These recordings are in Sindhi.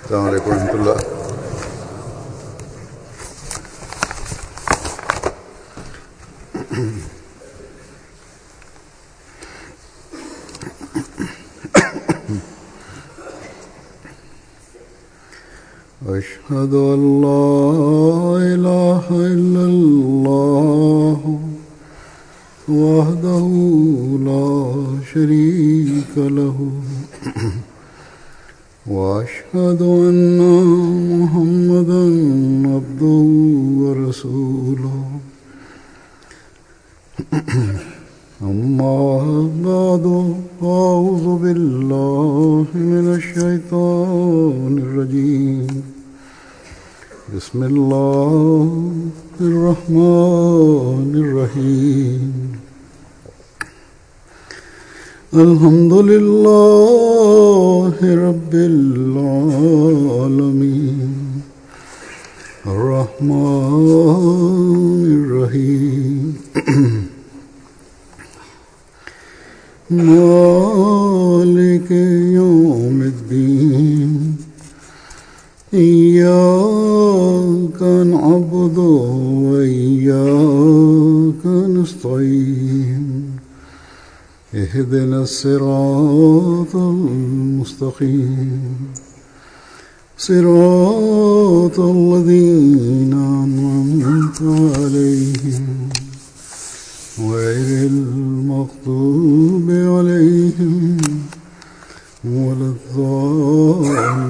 السلام عليڪم ورحمة الله. أشهد أن لا إله إلا الله وحده لا شريك له وأشهد أن محمدا عبده ورسوله. أما بعد، أعوذ بالله من الشيطان الرجيم. بسم الله الرحمن الرحيم. الحمد لله رب العالمين الرحمن الرحيم مالك يوم الدين. إياك نعبد وإياك نستعين. اهدنا الصراط المستقيم، صراط الذين أنعمت عليهم غير المغضوب عليهم ولا الضالين.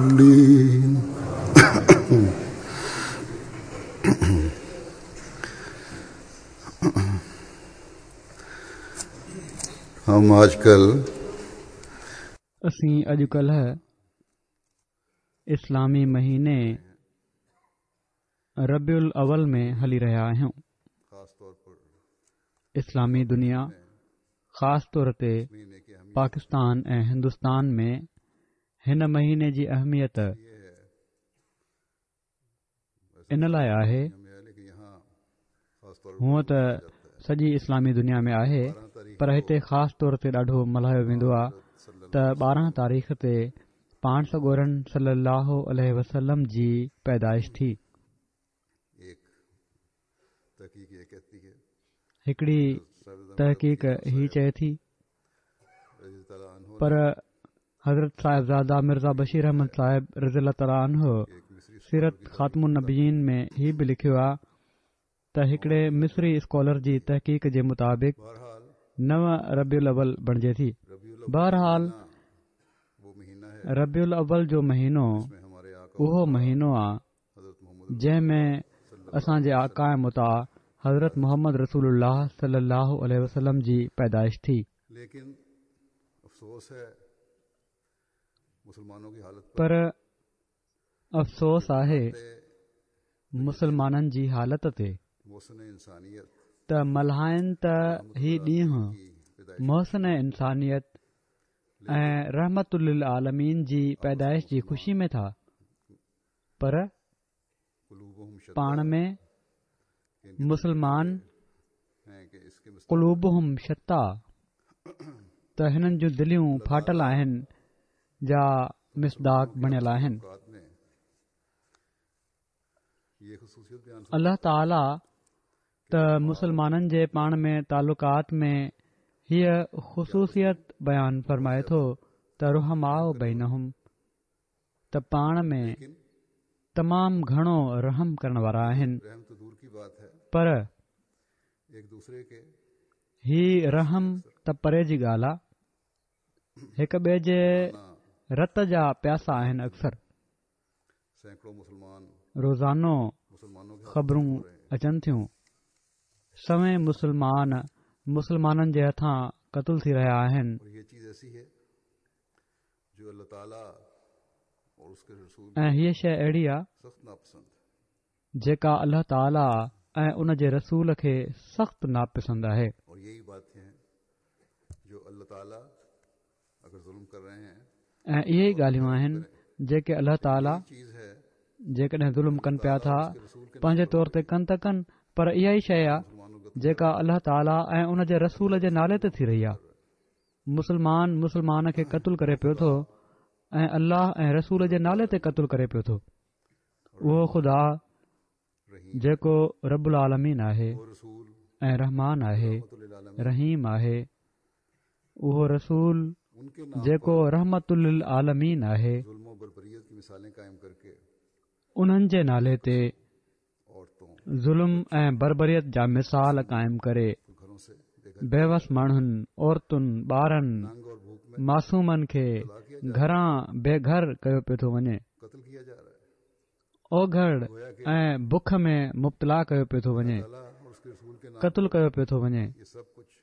हम आजकल असीं अॼुकल्ह इस्लामी महीने रबीउल अव्वल में हली रहिया आहियूं। इस्लामी दुनिया ख़ास तौर ते पाकिस्तान ऐं हिंदुस्तान में हिन महीने जी अहमियत इन लाइ आहे, हूअं त सॼी इस्लामी दुनिया में आहे, पर हिते ख़ास तौर ते ॾाढो मल्हायो वेंदो आहे त 12 तारीख़ ते पाण सڳورن सल्लल्लाहु अलैहि वसल्लम जी पैदाइश थी। हिकिड़ी तहक़ीक़ ही चए थी, पर हज़रत साहिबज़ादा मिर्ज़ा बशीर अहमद साहिब रज़ी अल्लाह तआला अन्हु सीरत ख़ातमुन नबिय्यीन में ही बि लिखियो आहे त हिकिड़े मिस्री स्कॉलर जी तहक़ीक़ जे मुताबिक़ 9 रबीउल अव्वल बणिजे थी। बहरहाल रबीउल अव्वल जो महीनो उहो महीनो आहे जंहिं में असांजे आक़ा ऐं मुता हज़रत मोहम्मद रसूलुल्लाह सल्लल्लाहु अलैहि वसल्लम जी पैदाइश थी। पर अफ़सोस आहे मुसलमाननि जी हालत ते त मल्हाइनि त ही ॾींहुं मोहसिन इंसानियत ऐं रहमतुल लिल आलमीन जी पैदाइश जी ख़ुशी में था, पर पाण में मुसलमान क़ुलूबुहुम शत्ता त हिननि जूं दिलियूं फाटल आहिनि जा मिसदाक़ बणियल आहिनि। अल्लाह ताला त मुसलमाननि जे पाण में तालुकात में हीअ ख़ुसूसियत बयान फरमाए थो त रुहमाउ बैनहुम, त पाण में तमामु घणो रहम करण वारा आहिनि, पर ही रहम त परे जी ॻाल्हि आहे, हिक ॿिए जे रत जा प्यासा आहिनि। अक्सर रोज़ानो ख़बरूं अचनि थियूं, सवें मुसलमान मुसलमाननि जे हथां क़तल थी रहिया आहिनि। ऐं हीअ शइ अहिड़ी आहे जेका अल्लाह ताला ऐं उन जे रसूल खे सख़्तु नापसंदि आहे। ऐं इहे ई ॻाल्हियूं आहिनि जेके अल्लाह ताला जेकॾहिं ज़ुल्म कनि पिया था पंहिंजे तौर ते कनि त कनि, पर इहा ई शइ आहे जेका अल्लाह ताला ऐं उन जे रसूल जे नाले ते थी रही आहे। मुसलमान मुसलमान खे क़तल करे पियो थो ۽ الله ۽ رسول جي نالي تي قتل ڪري پيو ٿو. اهو خدا جيڪو رب العالمين آهي ۽ رحمان آهي، رحيم آهي، اهو رسول جيڪو رحمت للعالمين آهي، انهن جي نالي تي ظلم ۽ بربريت جا مثال قائم ڪري بيوس ماڻهن، عورتن، ٻارن، معصومن کي گهران بي گهر ڪيو پيو ٿو وڃي. اوگهڙ ۽ بک ۾ مبتلا ڪيو پيو ٿو وڃي. قتل ڪيو پيو ٿو وڃي.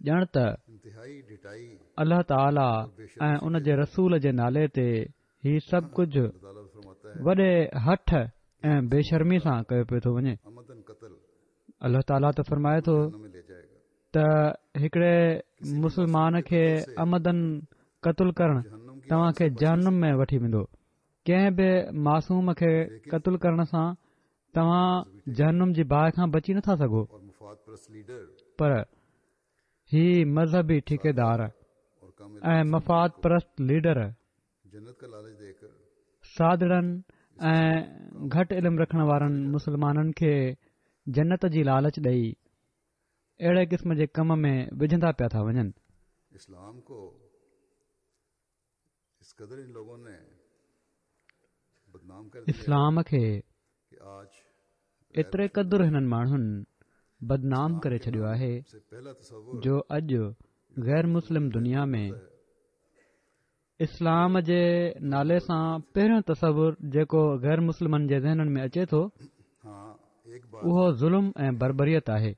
ڄڻ ته الله تعاليٰ ۽ ان جي رسول جي نالي تي هي سڀ ڪجهه وڏي هٺ ۽ بي شرمي سان ڪيو پيو ٿو وڃي. الله تعاليٰ ته فرمائي ٿو ته هڪڙي مسلمان کي عمداً قتل ڪرڻ توهان کي جهنم ۾ وٺي ويندو. ڪنهن به معصوم کي قتل ڪرڻ سان توهان جهنم جي باهه کان بچي نٿا سگهو. پر هي مذهبي ٺيڪيدار ۽ مفاد پرست ليڊر سادڙن ۽ گهٽ علم رکڻ وارن مسلمانن کي جنت جي لالچ ڏئي اهڙي قسم جي ڪم ۾ وجهندا پيا ٿا وڃن. اسلام کي ايتري قدر هنن ماڻهن بدنام ڪري ڇڏيو آهي جو اڄ غير مسلم دنيا ۾ اسلام جي نالي سان پهريون تصور جيڪو غير مسلمن جي ذهنن ۾ اچي ٿو اهو ظلم ۽ بربريت آهي.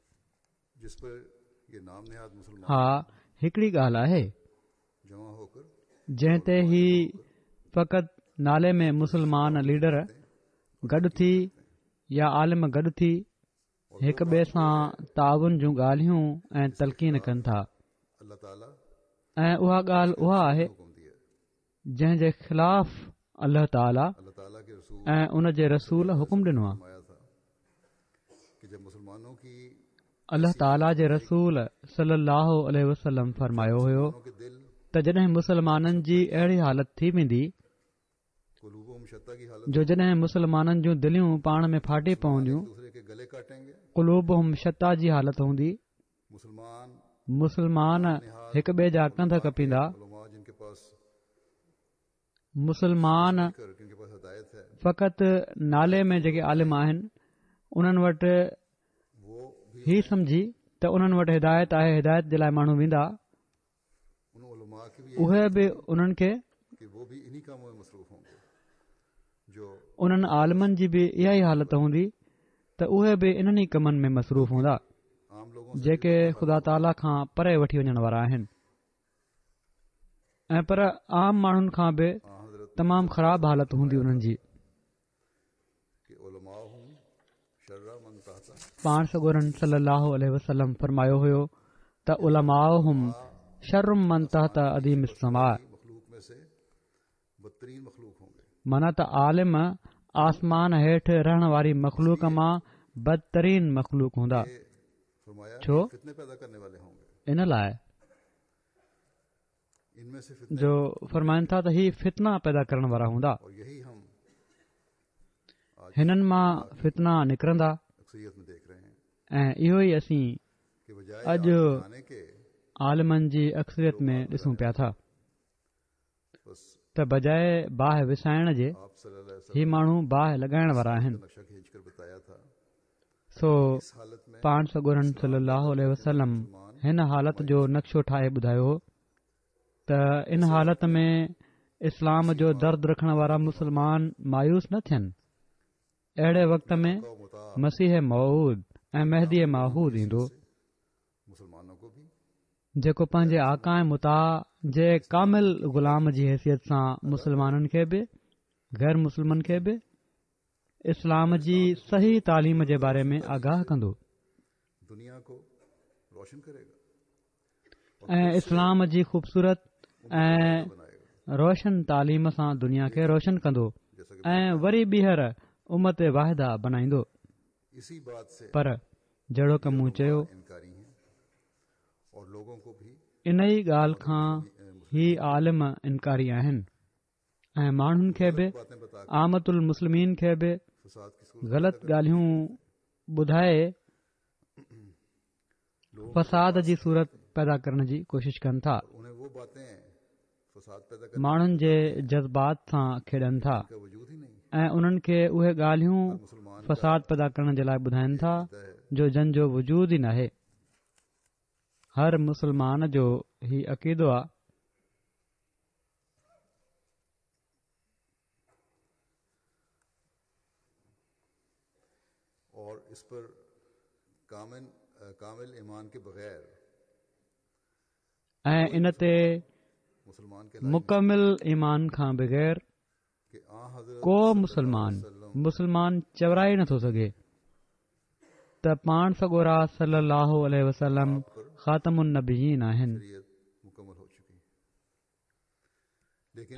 ها هڪڙي ڳالهه آهي جنهن تي هي فقط نالي ۾ مسلمان ليڊر گڏ ٿي يا عالم گڏ ٿي هڪ ٻئي سان تعاون جون ڳالهيون ۽ تلقين ڪن ٿا ۽ اها ڳالهه اها آهي جنهن جي خلاف الله تعاليٰ ۽ ان جي رسول حڪم ڏنو آهي. الله تعاليٰ جي رسول صلي الله عليه وسلم فرمايو هيو ته جڏهن مسلمانن جي اهڙي حالت ٿي ويندي جو جڏهن مسلمانن جون دليون پاڻ ۾ ڦاٽي پونديون، قلوبهم شتيٰ جي حالت هوندي، مسلمان هڪ ٻئي جا ڪنڌ ڪپيندا، مسلمان فقط نالي ۾ جيڪي عالم آهن انهن وٽ هي سمجهي ته انهن وٽ هدايت آهي هدايت جي لاء ماڻهو ويندا اهي به انهن کي انهن عالمن جي به اها ئي حالت هوندي ته اهي به انهن ئي ڪمن ۾ مصروف هوندا جيڪي خدا تعاليٰ کان پري وٺي وڃڻ وارا آهن ۽ پر عام ماڻهن کان به تمام خراب حالت هوندي انهن جي. پاڻ سڳورن صلي الله عليه وسلم فرمايو هيو ته علماؤهم شر من تحت اديم السماء معنيٰ ته عالم آسمان هيٺ رهڻ واري مخلوق مان بدترين مخلوق هوندا. ڇو؟ ان لاء جو فرمائن ٿا ته هي فتنا پيدا ڪرڻ وارا هوندا. هنن مان فتنا نڪرندا ۽ اهو ئي اسين اڄ عالمن جي اڪثريت ۾ ڏسون پيا ٿا. ته بجاء باهه وسائڻ جي هي ماڻهو باهه لڳائڻ وارا آهن. سو پاڻ سڳورن صلي الله عليه وسلم هن حالت جو نقشو ٺاهي ٻڌايو هو ته ان حالت ۾ اسلام جو درد رکڻ وارا مسلمان مايوس نه ٿين. اهڙي وقت ۾ مسيح موعود ۽ مهدي معهود ايندو. جيڪو پنهنجي آقا ۽ مطاع جي ڪامل غلام جي حيثيت سان مسلمانن کي به غير مسلمن کي به اسلام جي صحيح تعليم جي باري ۾ آگاهه ڪندو ۽ اسلام جي خوبصورت ۽ روشن تعليم سان دنيا کي روشن ڪندو ۽ وري ٻيهر امت واحده بنائيندو پر جهڙوڪ مون چيو، انهي ڳالهه کان هي عالم انڪاري آهن ۽ ماڻهن کي به عامة المسلمين کي به غلط ڳالهيون ٻڌائي فساد جي صورت پيدا ڪرڻ جي ڪوشش ڪن ٿا ماڻهن جي جذبات سان کيڏن ٿا ۽ انهن کي اهي ڳالهيون فساد پيدا ڪرڻ جي لاء ٻڌائن ٿا جو جن جو وجود ئي ناهي هر مسلمان جو هي عقيدو آ اور اس پر ڪامل ايمان ڪي بغير ۽ ان تي مڪمل ايمان کان بغير ڪو مسلمان مسلمان چورائي نٿو سگهي ته پاڻ سڳورا صلي الله عليه وسلم خاتم النبيين آهن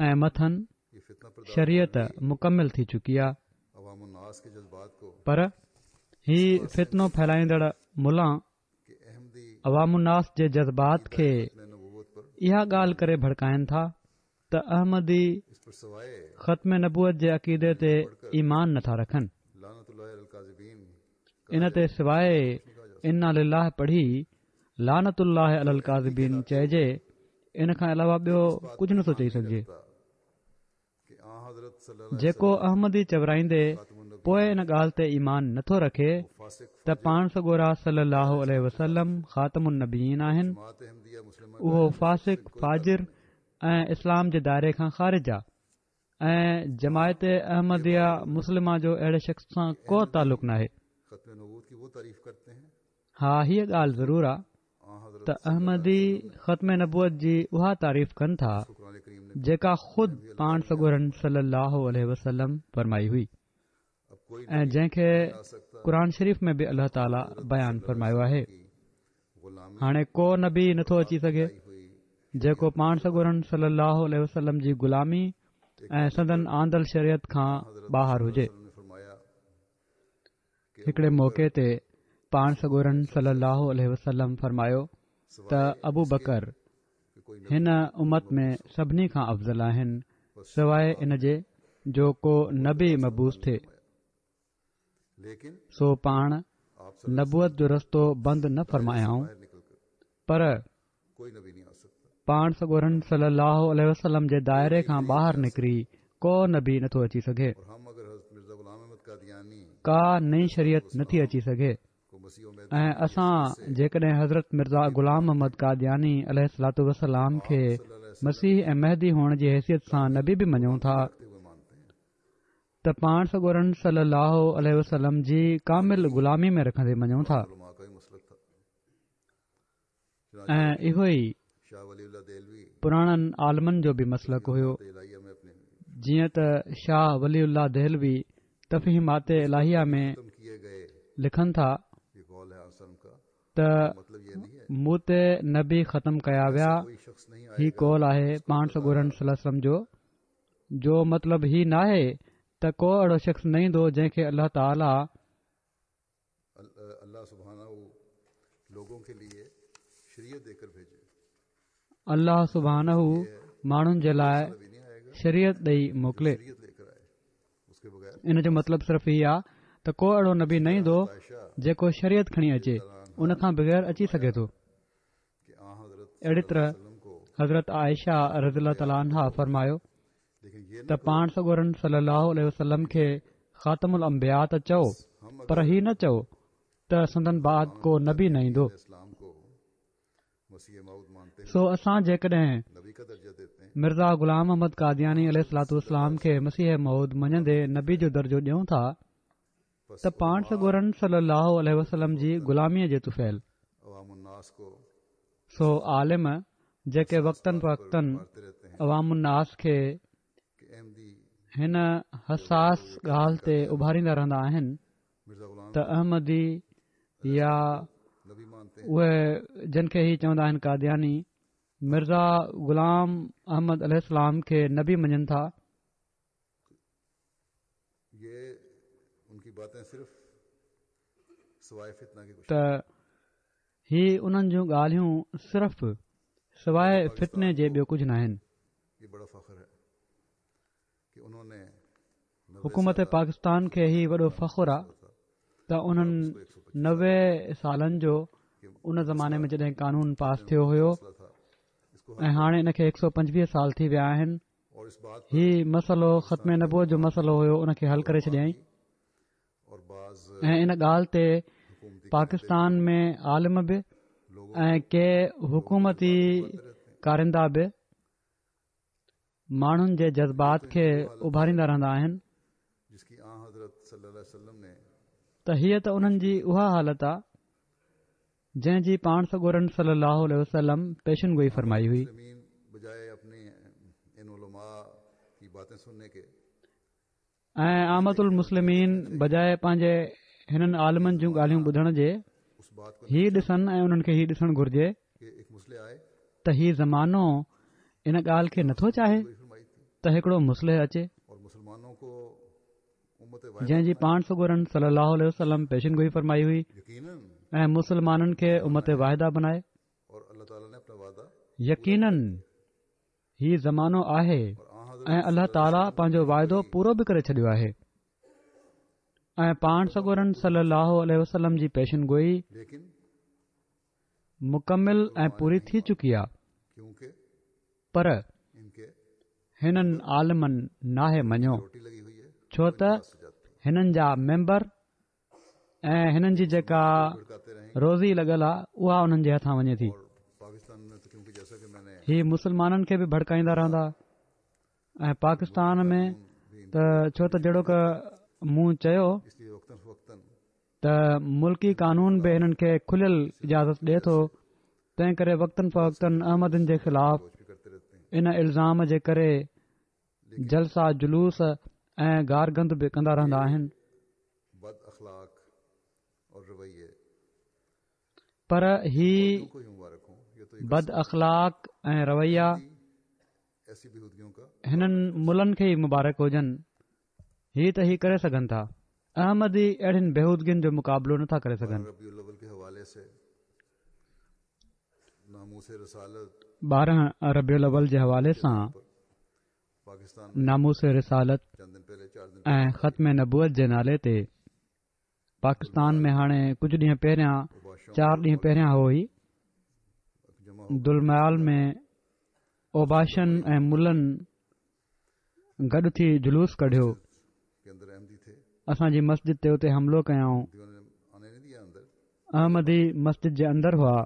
۽ مٿن شريعت مڪمل ٿي چڪي آ پر هي فتنو ڦهلائيندڙ ملان عوام الناس جي جذبات کي اها ڳالهه ڪري ڀڙڪائن ٿا ته احمدي ختم نبوت جي عقيدي تي ايمان نٿا رکن. ان تي سواء انا لله پڙهي لعنت الله علي الڪاذبين چئجي ان کان علاوه ٻيو ڪجهه نٿو چئي سگهجي. جيڪو احمدي چورائيندي پوء ان ڳالهه تي ايمان نٿو رکي ته پاڻ سڳورا صلي الله عليه وسلم خاتم النبيين آهن اهو فاسق فاجر ۽ اسلام جي دائري کان خارج آ ۽ جماعت احمديه مسلمه جو اهڙي شخص سان ڪو تعلق ناهي. ها هيء ڳالهه ضرور آ ته احمدي ختم نبوت جي اها تعريف ڪن ٿا جيڪا خود پاڻ سڳورن صلي الله عليه وسلم فرمائي هئي ۽ جنهن کي قرآن شريف ۾ به الله تعاليٰ بيان فرمايو آهي. هاڻي ڪو نبي نٿو اچي سگهي جيڪو پاڻ سڳورن صلي الله عليه وسلم جي غلامي ۽ سندن آندل شريعت کان ٻاهر هجي. هڪڙي موقعي تي پاڻ سڳورن صلي الله عليه وسلم فرمايو ته ابو بڪر هن امت ۾ سڀني کان افضل آهن سواء ان جي جو ڪو نبي مبعوث ٿئي سو پاڻ نبوت جو رستو بند نه فرمايائون پر پاڻ سڳورن صلي الله عليه وسلم جي دائري کان ٻاهر نڪري ڪو نبي نٿو اچي سگهي ڪا نئين شريعت نٿي اچي سگهي ۽ اسان جيڪڏهن حضرت مرزا غلام احمد قادياني عليه الصلوة والسلام کي مسيح ۽ مهدي هئڻ جي حيثيت سان نبي به مڃون ٿا ته پاڻ سڳورن صلي الله عليه وسلم جي ڪامل غلامي ۾ رکندي مڃون ٿا ۽ اهو ئي پراڻن عالمن جو به مسلڪ هيو جيئن ته شاهه ولي الله دهلوي تفهيمات الاهيه ۾ لکن ٿا ته مون تي نبي ختم ڪيا ويا هي قول آهي پاڻ سڳورن صلي الله عليه وسلم جو جو مطلب هي ناهي ته ڪو اهڙو شخص نه ايندو جنهن کي الله تعاليٰ الله سبحانه ماڻهن جي لاء شريعت ڏئي موڪلي ان جو مطلب صرف هي آ ته ڪو اهڙو نبي نه ايندو جيڪو شريعت کڻي اچي ان کان بغير اچي سگهي ٿو اهڙي طرح حضرت عائشه رضي الله تعاليٰ عنها فرمايو ته پاڻ سڳورن صلي الله عليه وسلم کي خاتم الانبياء ته چئو پر هي نه چئو ته سندن بعد ڪو نبي نه ايندو سو اسان جيڪڏهن مرزا غلام احمد قادياني عليه الصلوة والسلام کي مسيح موعود مڃندي نبي جو درجو ڏيون ٿا ته پاڻ سڳورن صلي الله عليه وسلم جي غلاميء جي طفيل. سو عالم جيڪي وقتاً فوقتاً عوام الناس کي هن حساس ڳالهه تي اڀاريندا رهندا آهن ته احمدي يا اهي جن کي هي چوندا آهن قادياني مرزا غلام احمد عليه السلام کي نبي مڃن ٿا ته هي انهن جون ڳالهيون صرف سواء فتني جي ٻيو ڪجهه ناهن. حڪومت پاڪستان کي هي وڏو فخر آ ته انهن 90 سالن جو ان زماني ۾ جڏهن قانون پاس ٿيو هيو ۽ هاڻي ان کي 125 سال ٿي ويا آهن، هي مسئلو ختم نبوت جو مسئلو هيو ان کي حل ڪري ڇڏيائين ۽ ان ڳالهه تي پاڪستان ۾ عالم به ۽ ڪي حڪومتي ڪارندا به ماڻهن جي جذبات کي اڀاريندا رهندا آهن ته هيء ته انهن جي اها حالت آ جنهن جي پاڻ سڳورن صلي الله عليه وسلم پيشن گوئي فرمائي هئي. ۽ عامة المسلمين بجاء پنهنجي هنن عالمن جون ڳالهيون ٻڌڻ جي هي ڏسن ۽ انهن کي هي ڏسڻ گهرجي ته هي زمانو ان ڳالهه کي نٿو چاهي ته هڪڙو مصلح اچي جنهن جي پاڻ سڳورن صلي الله عليه وسلم پيشن گوئي فرمائي هئي ۽ مسلمانن کي امت واحده بنائي. يقينن هي زمانو آهي ۽ الله تعاليٰ پنهنجو واعدو پورو به ڪري ڇڏيو آهي ۽ پاڻ سڳورن صلي الله عليه وسلم جي پيشن گوئي مڪمل ۽ پوري ٿي چڪي آهي پر هنن عالمن ناهي مڃيو ڇو ته هنن جا ميمبر ۽ هنن جي جيڪا روزي لڳل آ اها انهن جي هٿان وڃي ٿي. هي مسلمانن کي به ڀڙڪائيندا رهندا ۽ پاڪستان ۾ ته ڇو ته جهڙوڪ مون چيو ته ملڪي قانون به هنن کي کليل اجازت ڏئي ٿو تنهن ڪري وقتن فوقتن احمدين جي خلاف ان الزام جي ڪري جلسا جلوس ۽ گارگند به ڪندا رهندا آهن. پر هي بد اخلاق ۽ رويا هنن ملن کي ئي مبارڪ هجن هي ته هي ڪري سگهن ٿا احمدي اهڙين بيهودگين جو مقابلو نٿا ڪري سگهن. 12 ربيع الاول جي حوالي سان ناموس رسالت ۽ ختم نبوت جي نالي تي پاڪستان ۾ هاڻي ڪجهه ڏينهن پهريان چار ڏينهن پهريان هو هي دلميال ۾ اوباشن ۽ ملن گڏ ٿي جلوس ڪڍيو. اسان جي مسجد تي اتي حملو ڪيائون. احمدي مسجد جي اندر هئا.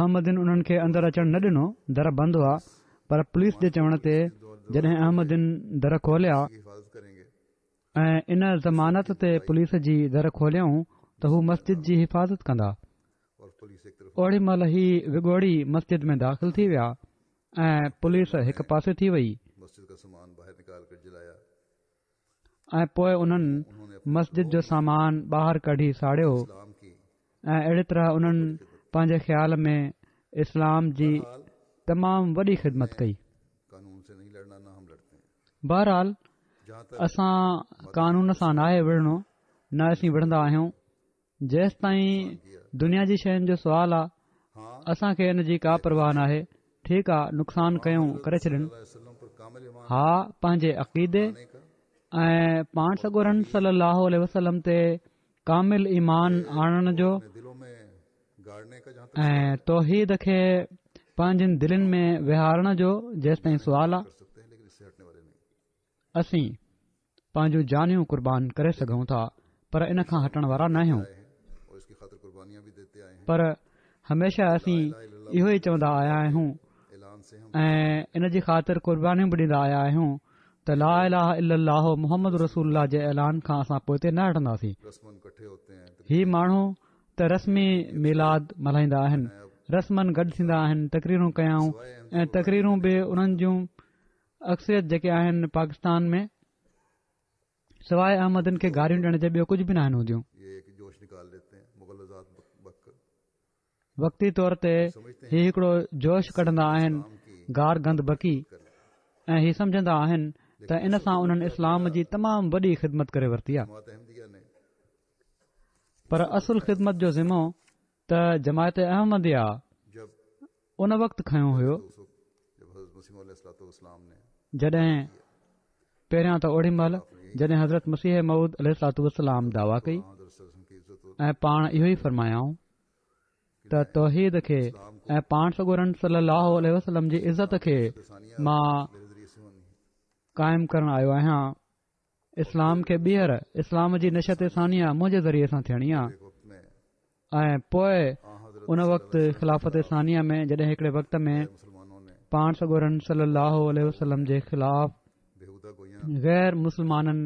احمدين انهن کي اندر اچڻ نه ڏنو، در بند هئا، پر پوليس جي چوڻ تي جڏهن احمدين در کوليا ۽ ان ضمانت تي پوليس جي در کوليائون ته هو مسجد جي حفاظت ڪندا. اوڙي مهل هي وڳوڙي مسجد ۾ داخل ٿي ويا ۽ پوليس هڪ پاسي ٿي وئي ۽ پوء انهن مسجد جو سامان ٻاهر ڪڍي ساڙيو ۽ اهڙي طرح انهن پنهنجي خيال ۾ اسلام جي تمام وڏي خدمت ڪئي. بهرحال اسان قانون سان ناهي وڙهڻو نه اسين وڙهندا آهيون جيستائين دنيا جي شين جو سوال آ اسان کي ان جي ڪا پرواهه ناهي ٺيڪ آ نقصان ڪيون ڪري ڇڏن ها پنهنجي عقيدي ۽ پاڻ سڳورن صلي الله عليه وسلم تي ڪامل ايمان آڻڻ جو ۽ توحيد کي پنهنجين دلين ۾ ويهارڻ جو جيستائين سوال آ اسين پنهنجون جانيون قربان ڪري سگهون ٿا پر ان کان هٽڻ وارا ناهيون پر هميشه اسين اهو ئي چوندا آيا آهيون ۽ ان جي خاطر قربانيون به ڏيندا آيا آهيون ته لا اله الا الله محمد رسول الله جي اعلان کان اسان پوئتي نه هٽنداسين هي ماڻهو ته رسمي ميلاد ملهائيندا آهن رسمن گڏ ٿيندا آهن تقريرون ڪيائون ۽ تقريرون به انهن جون اڪثريت جيڪي آهن پاڪستان ۾ سواء احمدين کي گاريون ڏيڻ جي ٻيو ڪجهه به ناهن هونديون. وقتي طور تي هي هڪڙو جوش ڪڍندا آهن گار گند بڪي ۽ هي سمجهندا آهن ته ان سان انهن اسلام جي تمام وڏي خدمت ڪري ورتي آهي پر اصل خدمت جو ذمو ته جماعت احمديه ان وقت کنيو هيو. جڏهن پهريان ته اوڏي مهل جڏهن حضرت مسيح موعود عليه الصلوة والسلام دعويٰ ڪئي ۽ پاڻ اهو ئي فرمايائون ته توحيد کي ۽ پاڻ سڳورن صلي الله عليه وسلم جي عزت کي مان قائم ڪرڻ آيو آهيان اسلام کي ٻيهر اسلام جي نشاة ثانيه منهنجي ذريعي سان ٿيڻي آهي ۽ پوء ان وقت خلافت ثانيه ۾ جڏهن هڪڙي وقت ۾ پاڻ سڳورن صلي الله عليه وسلم جي خلاف غير مسلمانن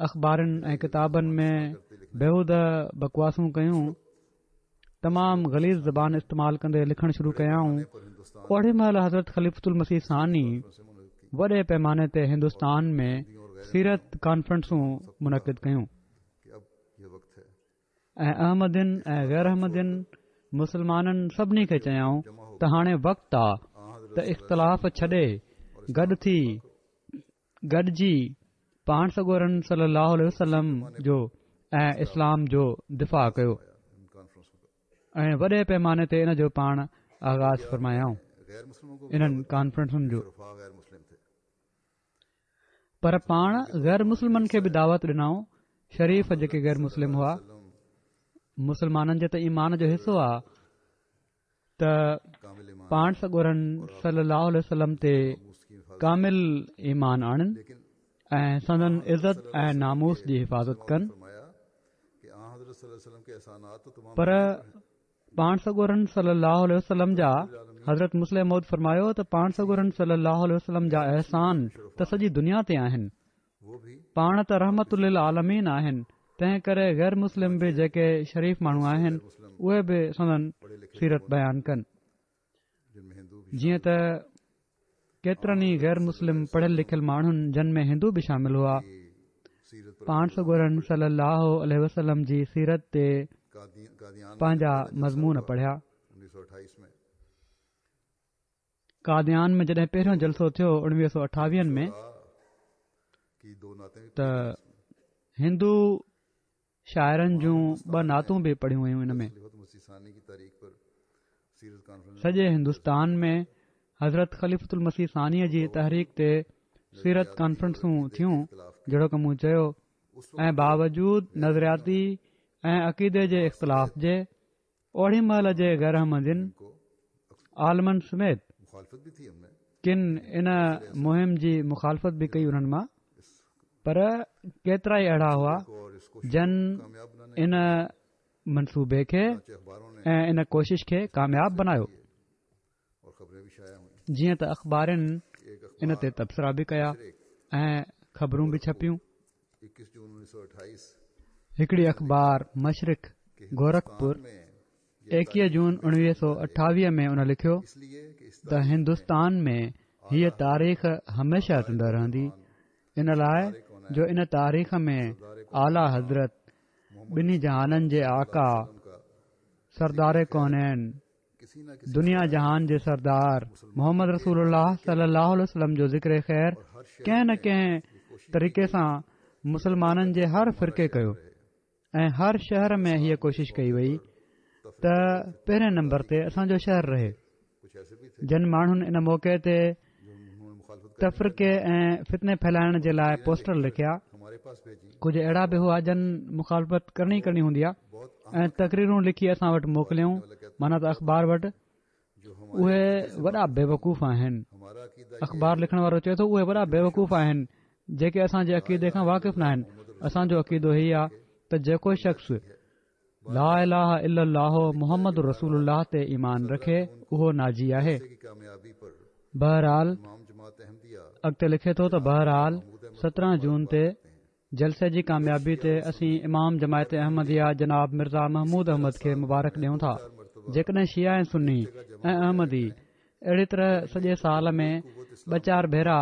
اخبارن ۽ ڪتابن ۾ بيهوده بڪواسون ڪيون تمام غليظ زبان استعمال ڪندي لکڻ شروع ڪيائون اوڏي مهل حضرت خليفة المسيح ثاني وڏي پيماني تي هندستان ۾ سيرت ڪانفرنسون منعقد ڪيون ۽ احمدين ۽ غير احمدين مسلمانن سڀني کي چيائون ته هاڻي وقت آ ته اختلاف ڇڏي گڏ ٿي گڏجي پاڻ سڳورن صلي الله عليه وسلم جو ۽ اسلام جو دفاع ڪيو ۽ وڏي پيماني تي ان جو پاڻ آغاز فرمايائون انهن ڪانفرنسن جو. پر پاڻ غير مسلمن کي به دعوت ڏنائون شريف جيڪي غير مسلم هئا مسلمانن جي ته ايمان جو حصو آ ته پاڻ سڳورن صلي الله عليه وسلم تي ڪامل ايمان آڻن ۽ سندن عزت ۽ ناموس جي حفاظت ڪن پر پاڻ سڳورن صلي الله عليه وسلم جا حضرت مصلح موعود فرمايو ته پاڻ سڳورن صلي الله عليه وسلم جا احسان ته سڄي دنيا تي آهن پاڻ ته رحمت للعالمين آهن تنهن ڪري غير مسلم به جيڪي شريف ماڻهو آهن اهي به سندن سيرت بيان ڪن جيئن ته ڪيترن ئي غير مسلم پڙهيل لکيل ماڻهن جن ۾ هندو به شامل هئا پاڻ سڳورن صلي الله عليه وسلم جي سيرت تي پنهنجا مضمون پڙهيا. قاديان ۾ جڏهن پهريون جلسو ٿيو اڻويهه سو اٺاويهن ۾ ته هندو شاعرن جون ٻه نعتون به پڙهيون ويون ان ۾ سڄي هندستان ۾ حضرت خليفة المسيح ثانيء جي تحريڪ تي سيرت ڪانفرنسون ٿيون جهڙوڪ مون چيو ۽ باوجود نظرياتي ۽ عقيدي جي اختلاف جي اوڏي مهل جي غير احمدين عالمن سميت ڪن ان مهم جي مخالفت به ڪئي انهن مان پر ڪيترائي اهڙا هئا جن ان منصوبي کي ۽ ان ڪوشش کي ڪامياب بنايو جيئن ته اخبارن ان تي تبصرا به ڪيا ۽ خبرون به ڇپيون هڪڙي اخبار مشرق گورکپور ايڪيهه جون اڻويهه سو اٺاويهه ۾ ان لکيو ته هندستان ۾ هيء تاريخ هميشه زنده رهندي ان لاء جو ان تاريخ ۾ اعليٰ حضرت ٻنهي جهانن جي آقا سردار ڪونين دنيا جهان جي سردار محمد رسول الله صلي الله عليه وسلم جو ذڪر خير ڪنهن نه ڪنهن طريقي سان مسلمانن جي هر فرقي ڪيو ۽ هر شهر ۾ هيء ڪوشش ڪئي وئي ته پهرين نمبر تي اسان جو شهر رهي جن ماڻهن ان موقعي تي تفرقي ۽ فتني ڦهلائڻ جي لاء پوسٽر لکيا ڪجهه اهڙا به هئا جن مخالفت ڪرڻي ڪرڻي هوندي آهي ۽ تقريرون لکي اسان وٽ موڪليائون معنيٰ ته اخبار وٽ اهي وڏا بيوقوف آهن اخبار لکڻ وارو چئي ٿو اهي وڏا بيوقوف آهن جيڪي اسان جي عقيدي کان واقف نه آهن اسان جو عقيدو هي آهي ته جيڪو شخص لا اله الا الله محمد رسول الله تي ايمان رکي اهو ناجي آهي. بهرحال اڳتي لکي ٿو ته بهرحال 17 جون تي جلسي جي ڪاميابي تي اسين امام جماعت احمديه جناب مرزا محمود احمد کي مبارڪ ڏيون ٿا جيڪڏهن شيعا ۽ سني ۽ احمدي اهڙي طرح سڄي سال ۾ ٻه چار ڀيرا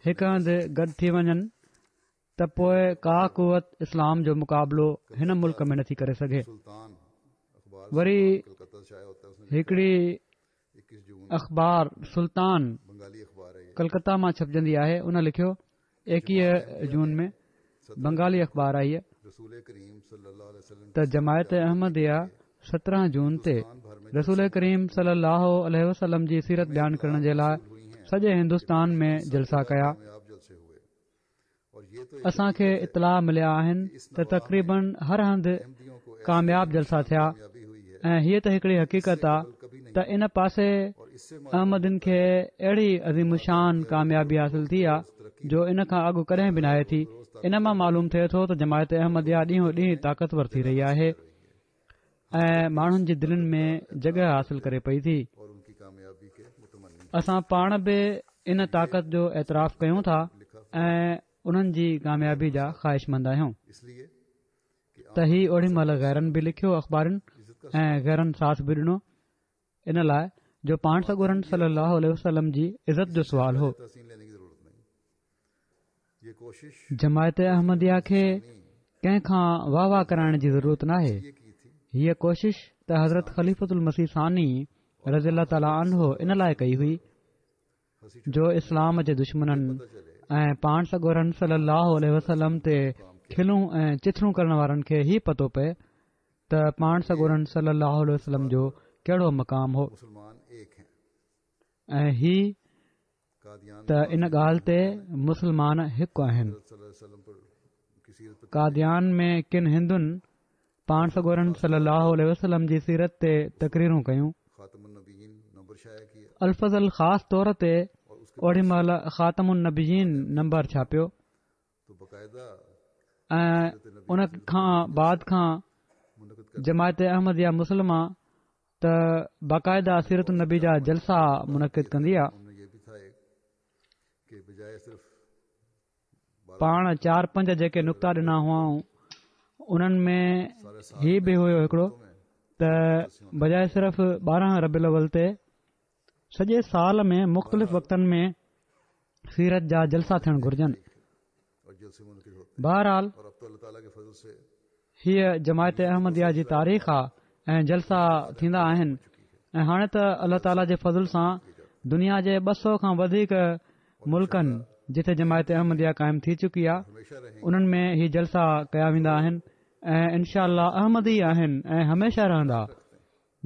هڪ هنڌ گڏ ٿي وڃن ته پوء ڪا قوت اسلام جو مقابلو هن ملڪ ۾ نٿي ڪري سگهي. وري هڪڙي اخبار سلطان ڪلڪتا مان ڇپجندي آهي ان لکيو ايڪيهه جون ۾ بنگالي اخبار آهي ته جماعت احمديه 17 جون تي رسول ڪريم صلي الله عليه وسلم جي سيرت بيان ڪرڻ جي لاء سڄي هندستان ۾ جلسا ڪيا. اسان کي اطلاع مليا آهن ته تقريبن هر هنڌ ڪامياب جلسا ٿيا ۽ هيء ته هڪڙي حقيقت آ ته ان پاسي احمدين کي اهڙي عظيم الشان ڪاميابي حاصل ٿي آ جو ان کان اڳ ڪڏهن به ناهي ٿي. ان مان معلوم ٿئي ٿو ته جماعت احمديه ڏينهون ڏينهن طاقتور ٿي رهي آهي ۽ ماڻهن جي دلين ۾ جڳهه حاصل ڪري پئي ٿي. اسان پاڻ به ان طاقت جو اعتراف ڪيون ٿا ۽ انهن جي ڪاميابي جا خواهشمند آهيون ته هي اوڏي مهل غيرن به لکيو اخبارن ۽ غيرن ساٿ به ڏنو ان لاء جو پاڻ سڳورن صلي الله عليه وسلم جي عزت جو سوال هو. جماعت احمديه کي ڪنهن کان واهه واهه ڪرائڻ جي ضرورت ناهي. هيء ڪوشش ته حضرت خليفة المسيح ثاني رضي الله تعالٰي عنه ان لاء ڪئي هئي جو اسلام جي دشمنن ۽ پاڻ سڳورن صلي الله عليه وسلم تي کلون ۽ چٿرون ڪرڻ وارن کي هي پتو پئي ته پاڻ سڳورن صلي الله عليه وسلم جو ڪهڙو مقام هو ۽ هي ته ان ڳالهه تي مسلمان هڪ آهن. قاديان ۾ ڪن هندن پاڻ سڳورن صلي الله عليه وسلم جي سيرت تي تقريرون ڪيون. الفضل خاص طور تي اوڏي مهل خاتم النبيين نمبر ڇاپيو ۽ ان کان بعد کان جماعت احمديه مسلمه ته باقاعده سيرت النبي جا جلسا منعقد ڪندي آ. پاڻ چار پنج جيڪي نڪتا ڏنا هئائون انهن ۾ هي به هيو هڪڙو ته بجاء صرف 12 ربيع الاول تي سڄي سال ۾ مختلف وقتن ۾ سيرت جا جلسا ٿيڻ گهرجن. بهرحال هيء جماعت احمديه جي تاريخ آ ۽ جلسا ٿيندا آهن ۽ هاڻي ته الله تعاليٰ جي فضل سان دنيا جي 200 کان وڌيڪ ملڪن جتي جماعت احمديه قائم ٿي چڪي آ انهن ۾ هي جلسا ڪيا ويندا آهن ۽ انشاء الله احمدي آهن ۽ هميشه رهندا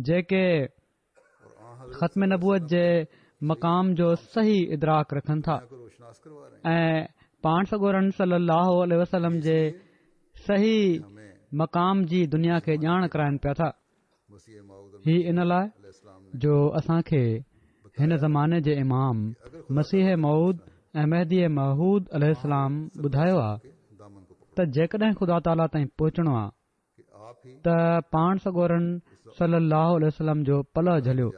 جيڪي ختم نبوت جي مقام جو صحيح ادراڪ رکن ٿا ۽ پاڻ سڳورن صلي الله عليه وسلم جي صحيح مقام جي دنيا کي ڄاڻ ڪرائن پيا ٿا. هي ان لاء جو اسان کي هن زماني جي امام مسيح موعود ۽ مهدي معهود عليه السلام ٻڌايو آ ته جيڪڏهن خدا تعاليٰ تائين پهچڻو آ ته پاڻ سڳورن صلّي اللّٰه عليه وسلّم جو پلئه جهليو،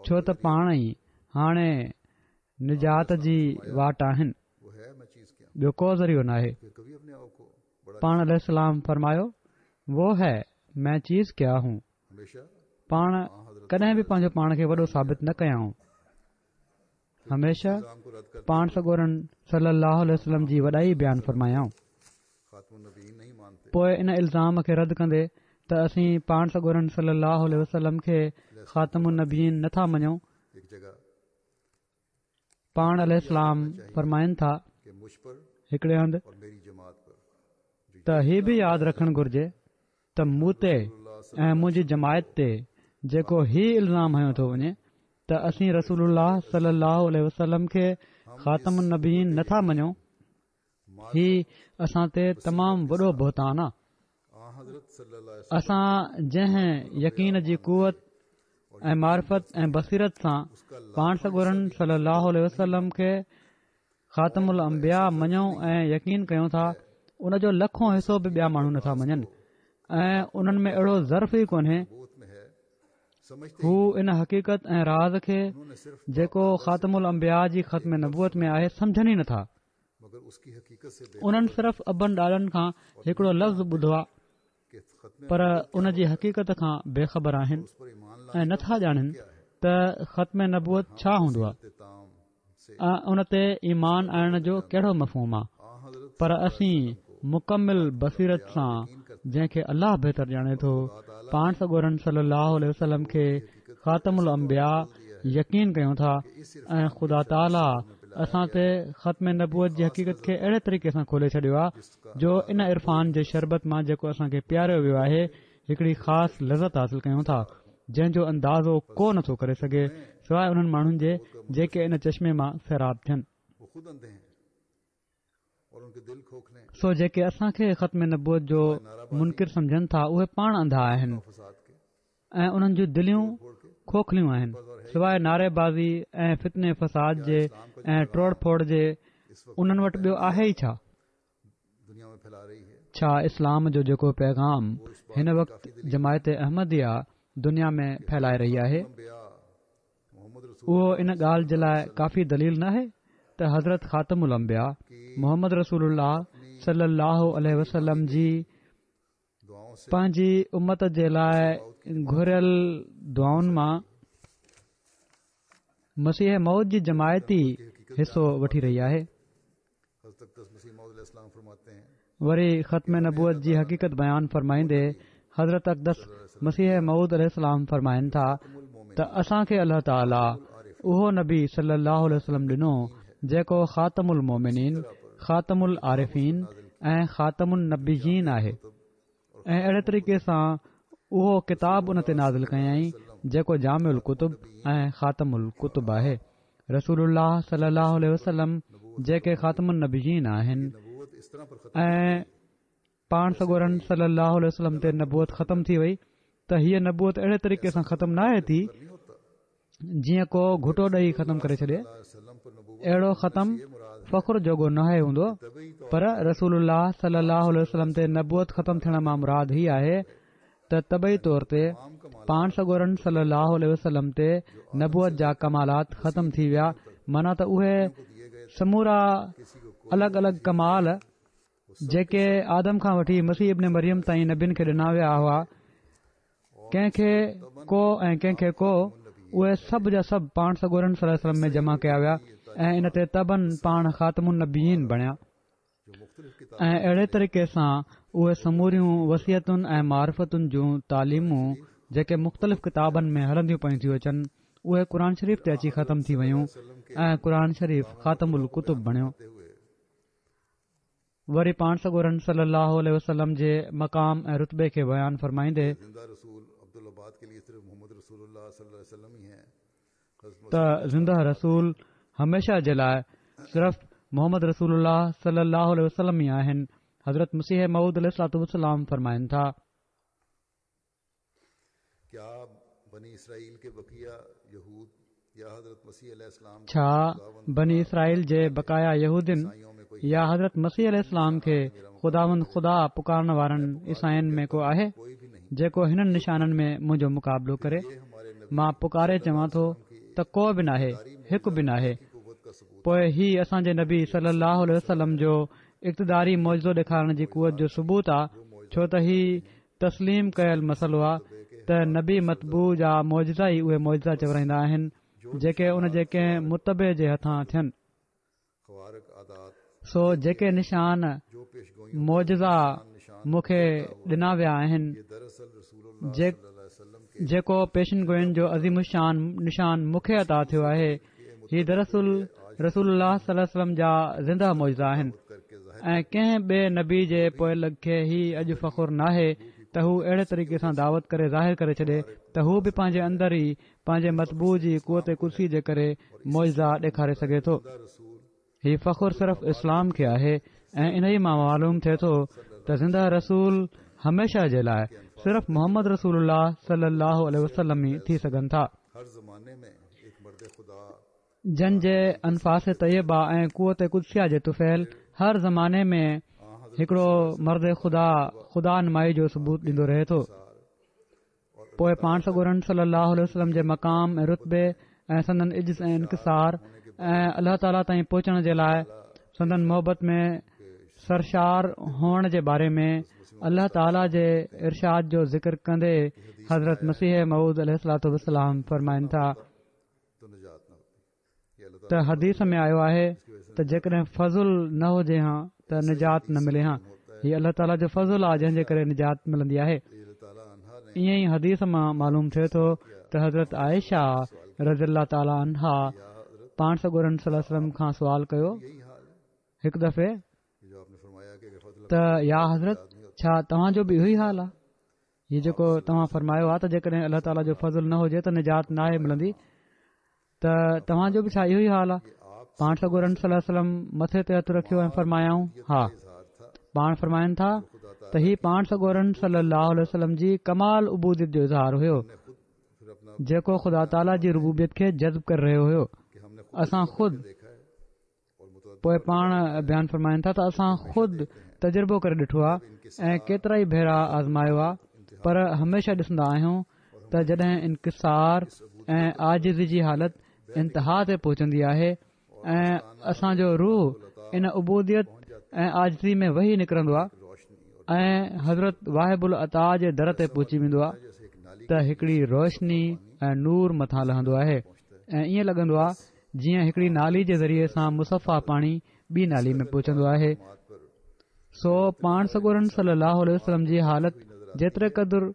ڇو ته پاڻ ئي هاڻي نجات جي واٽ آهن، ٻيو ڪو ذريعو ناهي. پاڻ عليه السلام فرمايو، وو هي مين چيز ڪيا هون. پاڻ ڪڏهن به پنهنجو پاڻ کي وڏو ثابت نه ڪيائون. هميشه پاڻ سڳورن صلّي اللّٰه عليه وسلّم جي وڏائي بيان فرمايائون. پوء ان الزام کي رد ڪندي ته اسين پاڻ سڳورن صلي الله عليه وسلم کي خاتم النبيين نه ٿا مڃون پاڻ عليه السلام فرمائن ٿا هڪڙي هنڌ ته هي به ياد رکڻ گهرجي ته مون تي ۽ منهنجي جماعت تي جيڪو هي الزام هنيو ٿو وڃي ته اسين رسول الله صلي الله عليه وسلم کي خاتم النبيين نه ٿا مڃون هي اسان تي تمام وڏو بهتان آ. اسان جنهن يقين جي قوت ۽ معرفت ۽ بصيرت سان پاڻ سڳورن صلي الله عليه وسلم کي خاتم الانبياء مڃون ۽ يقين ڪيون ٿا ان جو لکون حصو به ٻيا ماڻهو نٿا مڃن ۽ انهن ۾ اهڙو ظرف ئي ڪونهي هو ان حقيقت ۽ راز کي جيڪو خاتم الانبياء جي ختم نبوت ۾ آهي سمجهن ئي نٿا. انهن صرف ابن ڏاڏن کان هڪڙو لفظ ٻڌو آ پر ان جي حقيقت کان بي خبر آهن ۽ نٿا ڄاڻن ته ختم نبوت ڇا هوندو آ ۽ ان تي ايمان آڻڻ جو ڪهڙو مفهوم آ پر اسين مڪمل بصيرت سان جنهن کي الله بهتر ڄاڻي ٿو پاڻ سڳورن صلي الله عليه وسلم کي خاتم الانبياء يقين ڪيون ٿا ۽ خدا تعاليٰ اسان تي ختم نبوت جي حقيقت کي اهڙي طريقي سان کولي ڇڏيو آهي جو ان عرفان جي شربت مان جيڪو اسان کي پياريو ويو آهي هڪڙي خاص لذت حاصل ڪيون ٿا جنهن جو اندازو ڪو نٿو ڪري سگهي. سواء انهن ماڻهن جي جيڪي ان چشمي مان سيراب ٿين. سو جيڪي اسان کي ختم نبوت جو منڪر سمجهن ٿا اهي پاڻ انڌا آهن ۽ انهن جون دليون کوکليون آهن سواء نعري بازي ۽ فتني فساد جي ۽ ٽوڙ ڦوڙ جي انهن وٽ ٻيو آهي ئي ڇا؟ ڇا اسلام جو جيڪو پيغام هن وقت جماعت احمديه دنيا ۾ ڦهلائي رهي آهي اهو ان ڳالهه جي لاء ڪافي دليل ناهي ته حضرت خاتم الانبياء محمد رسول الله صلي الله عليه وسلم جي پنهنجي امت جي لاء گهريل دعائن مان مسيح موعود جي جماعت ئي حصو وٺي رهي آهي. وري ختم نبوت جي حقيقت بيان فرمائيندي حضرت اقدس مسيح موعود عليه السلام فرمائن ٿا ته اسان کي الله تعاليٰ اهو نبي صلي الله عليه وسلم ڏنو جيڪو خاتم المومنين، خاتم العارفين ۽ خاتم النبيين آهي. ۽ اهڙي طريقي سان اهو ڪتاب ان تي نازل ڪيائين جيڪو جامع الڪتب ۽ خاتم الڪتب آهي. رسول الله صلي الله عليه وسلم جيڪي خاتم النبيين آهن ۽ پاڻ سڳورن صلي الله عليه وسلم تي نبوت ختم ٿي وئي ته هيء نبوت اهڙي طريقي سان ختم ناهي ٿي جيئن ڪو گهٽو ڏئي ختم ڪري ڇڏي اهڙو ختم فخر جوڳو ناهي هوندو پر رسول الله صلي الله عليه وسلم تي نبوت ختم ٿيڻ مان مراد هي آهي ته طبعي طور تي پاڻ سڳورن صلي الله عليه وسلم تي نبوت جا ڪمالات ختم ٿي ويا معنيٰ ته اهي سمورا الڳ الڳ ڪمال جيڪي آدم کان وٺي مسيح ابن مريم تائين نبين کي ڏنا ويا هئا، ڪنهن کي ڪو ۽ ڪنهن کي ڪو، اهي سڀ جا سڀ پاڻ سڳورن صلي الله عليه وسلم ۾ جمع ڪيا ويا ۽ ان تي طبعاً پاڻ خاتم النبيين بڻيا ۽ اهڙي طريقي سان اهي سموريون وصيتن ۽ معرفتن جون تعليمون جيڪي مختلف ڪتابن ۾ هلنديون پيون ٿيون اچن اهي قرآن شريف تي اچي ختم ٿي ويون ۽ قرآن شريف خاتم الڪتب بڻيو. وري پاڻ سڳورن صلّي اللّٰه عليه وسلّم جي مقام ۽ رتبي کي بيان فرمائيندي ته زنده رسول هميشه جي لاء صرف محمد رسول الله صلّي اللّٰه عليه وسلّم ئي آهن حضرت مسيح موعود عليه الصلوة والسلام فرمائن ٿا. ڇا بني اسرائيل جي بقايا يهودين يا حضرت مسيح عليه السلام کي خداوند خدا پڪارڻ وارن عيسائين ۾ ڪو آهي جيڪو هنن نشانن ۾ منهنجو مقابلو ڪري؟ مان پڪاري چوان ٿو ته ڪو به ناهي، هڪ به ناهي. پوء هي اسان جي نبي صلي الله عليه وسلم جو اقتداري معجزو ڏيکارڻ جي قوت جو ثبوت آ ڇو ته هي تسليم ڪيل مسئلو آ ته نبي متبوع جا معجزا ئي اهي معجزا چورائيندا آهن جيڪي ان جي ڪنهن متبع جي هٿان ٿين. سو جيڪي نشان، معجزا، مون کي ڏنا ويا آهن، جيڪو پيشن گوئين جو عظيم الشان نشان مون کي عطا ٿيو آهي، هي دراصل رسول الله صلي الله عليه وسلم جا زنده معجزا آهن ۽ ڪنهن ٻئي نبي جي پوئلڳ کي هي اڄ فخر ناهي ته هو اهڙي طريقي سان دعوت ڪري ظاهر ڪري ڇڏي ته هو به پنهنجي اندر ئي پنهنجي متبوع جي قوت قدسي جي ڪري معجزا ڏيکاري سگهي ٿو. هي فخر صرف اسلام کي آهي ۽ انهي مان معلوم ٿئي ٿو ته زنده رسول هميشه جي لاء صرف محمد رسول الله صلي الله عليه وسلم ئي ٿي سگهن ٿا. جن جي انفاس طيبه ۽ قوت قدسيه جي طفيل هر زماني ۾ هڪڙو مرد خدا خدا نمائي جو ثبوت ڏيندو رهي ٿو. پوء پاڻ سڳورن صلي الله عليه وسلم جي مقام ۽ رتبي ۽ سندن عجز ۽ انڪسار ۽ الله تعاليٰ تائين پهچڻ جي لاء سندن محبت ۾ سرشار هئڻ جي باري ۾ الله تعاليٰ جي ارشاد جو ذڪر ڪندي حضرت مسيح موعود عليه الصلوة والسلام فرمائن ٿا ته حديث ۾ آيو آهي ته جيڪڏهن فضل نه هجي ها ته نجات نه ملي ها هي الله تعاليٰ جو فضل آهي جنهن جي ڪري نجات ملندي آهي ائين ئي حديث مان معلوم ٿئي ٿو ته حضرت عائشه رضي الله تعاليٰ عنها پاڻ سڳورن صلي الله عليه وسلم کان سوال ڪيو هڪ دفعي ته يا حضرت ڇا توهان جو به اهو ئي حال آهي هي جيڪو توهان فرمايو آهي ته جيڪڏهن الله تعاليٰ جو فضل نه هجي ته نجات ناهي ملندي. ته توهان جو به ڇا اهو ئي حال آهي؟ پاڻ سڳورن صلي الله عليه وسلم مٿي تي هٿ رکيو ۽ فرمايائون، ها. پاڻ فرمائن ٿا ته هي پاڻ سڳورن صلي الله عليه وسلم جي ڪمال عبوديت جو اظهار هيو، جيڪو خدا تعاليٰ جي ربوبيت کي جذب ڪري رهيو هيو. اسان خود پوء پاڻ بيان فرمائن ٿا ته اسان خود تجربو ڪري ڏٺو آهي ۽ ڪيترا ئي ڀيرا آزمايو آهي پر هميشه ڏسندا آهيون ته جڏهن انڪسار ۽ عاجزي جي حالت انتها تي پهچندي آهي ۽ اسان جو روح ان عبوديت ۽ عاجزي ۾ وهي نڪرندو آهي ۽ حضرت واهب العطا جي در تي پهچي ويندو آهي ته هڪڙي روشني ۽ نور مٿان لهندو آهي ۽ ائين لڳندو آهي جيئن هڪڙي نالي جي ذريعي سان مصفا پاڻي ٻي نالي ۾ پهچندو آهي سو پاڻ سڳورن صلي الله عليه وسلم جي حالت جيتري قدر